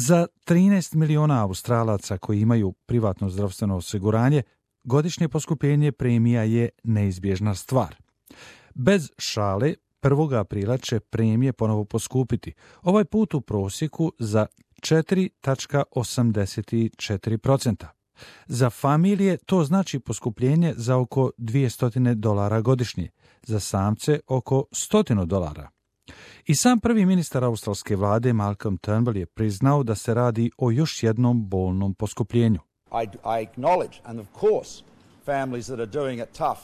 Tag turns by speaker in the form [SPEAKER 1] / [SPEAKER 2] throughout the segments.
[SPEAKER 1] Za 13 miliona Australaca koji imaju privatno zdravstveno osiguranje, godišnje poskupljenje premija je neizbježna stvar. Bez šale, 1. aprila će premije ponovo poskupiti, ovaj put u prosjeku za 4,84%. Za familije to znači poskupljenje za oko $200 godišnje, za samce oko $100. I sam prvi ministar australske vlade Malcolm Turnbull je priznao da se radi o još jednom bolnom poskupljenju.
[SPEAKER 2] I acknowledge, and of course, families that are doing it tough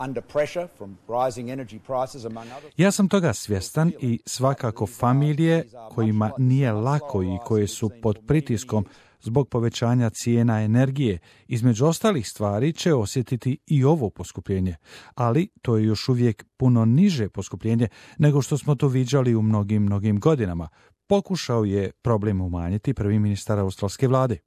[SPEAKER 2] under pressure from rising energy prices among others.
[SPEAKER 1] Ja sam toga svjestan i svakako familije kojima nije lako i koje su pod pritiskom zbog povećanja cijena energije, između ostalih stvari će osjetiti i ovo poskupljenje, ali to je još uvijek puno niže poskupljenje nego što smo to viđali u mnogim godinama. Pokušao je problem umanjiti prvi ministar australske vlade.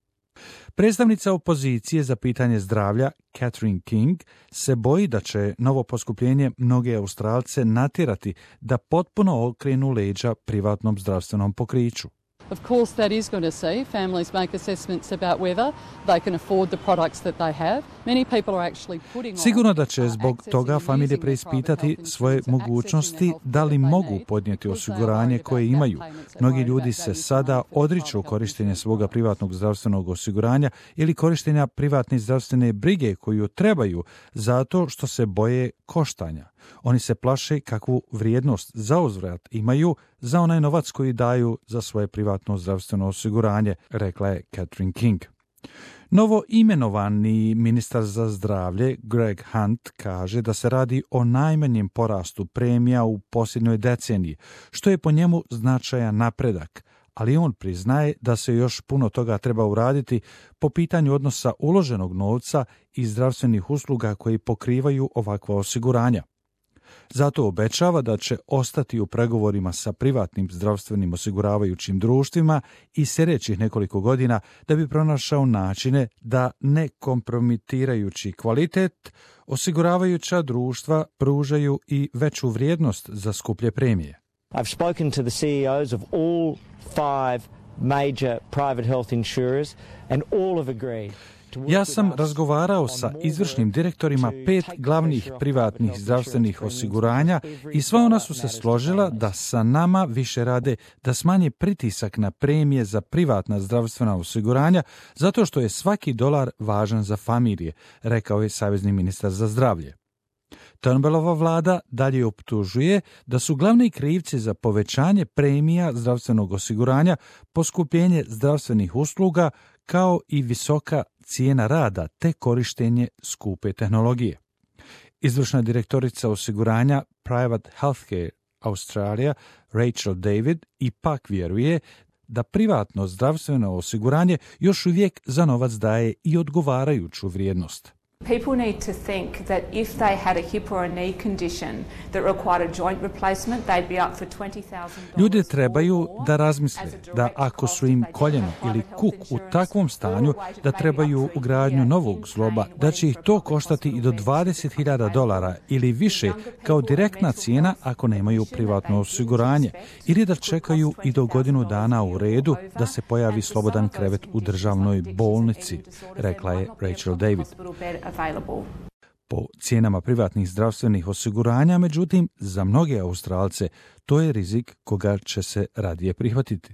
[SPEAKER 1] Predstavnica opozicije za pitanje zdravlja, Catherine King, se boji da će novo poskupljenje mnoge Australce natjerati da potpuno okrenu leđa privatnom zdravstvenom pokriću.
[SPEAKER 3] Of course, that is going to see families make assessments about whether they can afford the products that they have. Many people are actually putting on.
[SPEAKER 1] Sigurno da će zbog toga familije preispitati svoje mogućnosti da li mogu podnijeti osiguranje koje imaju. Mnogi ljudi se sada odriču korištenja svoga privatnog zdravstvenog osiguranja ili korištenja privatne zdravstvene brige koju trebaju zato što se boje koštanja. Oni se plaše kakvu vrijednost zauzvrat imaju za onaj novac koji daju za svoje privatno zdravstveno osiguranje, rekla je Catherine King. Novo imenovani ministar za zdravlje Greg Hunt kaže da se radi o najmanjem porastu premija u posljednjoj deceniji, što je po njemu značajan napredak, ali on priznaje da se još puno toga treba uraditi po pitanju odnosa uloženog novca i zdravstvenih usluga koji pokrivaju ovakva osiguranja. Zato obećava da će ostati u pregovorima sa privatnim zdravstvenim osiguravajućim društvima i sljedećih nekoliko godina da bi pronašao načine da ne kompromitirajući kvalitet, osiguravajuća društva pružaju i veću vrijednost za skuplje premije.
[SPEAKER 4] I've spoken to the CEOs of all 5 major private health insurers and all have agreed.
[SPEAKER 1] Ja sam razgovarao sa izvršnim direktorima 5 glavnih privatnih zdravstvenih osiguranja i sva ona su se složila da sa nama više rade da smanje pritisak na premije za privatna zdravstvena osiguranja zato što je svaki dolar važan za familije, rekao je savezni ministar za zdravlje. Turnbullova vlada dalje optužuje da su glavni krivci za povećanje premija zdravstvenog osiguranja poskupljenje zdravstvenih usluga kao i visoka cijena rada te korištenje skupe tehnologije. Izvršna direktorica osiguranja Private Healthcare Australia Rachel David ipak vjeruje da privatno zdravstveno osiguranje još uvijek za novac daje i odgovarajuću vrijednost.
[SPEAKER 5] People need to think that if they had a hip or a knee condition that required a joint replacement, they'd be up for $20,000.
[SPEAKER 1] Ljudi trebaju da razmisle da ako su im koljeno ili kuk u takvom stanju da trebaju ugradnju novog zgloba, da će ih to koštati i do $20,000 ili više kao direktna cijena ako nemaju privatno osiguranje, ili da čekaju i do godinu dana u redu da se pojavi slobodan krevet u državnoj bolnici, rekla je Rachel David. Po cijenama privatnih zdravstvenih osiguranja, međutim, za mnoge Australce to je rizik koga će se radije prihvatiti.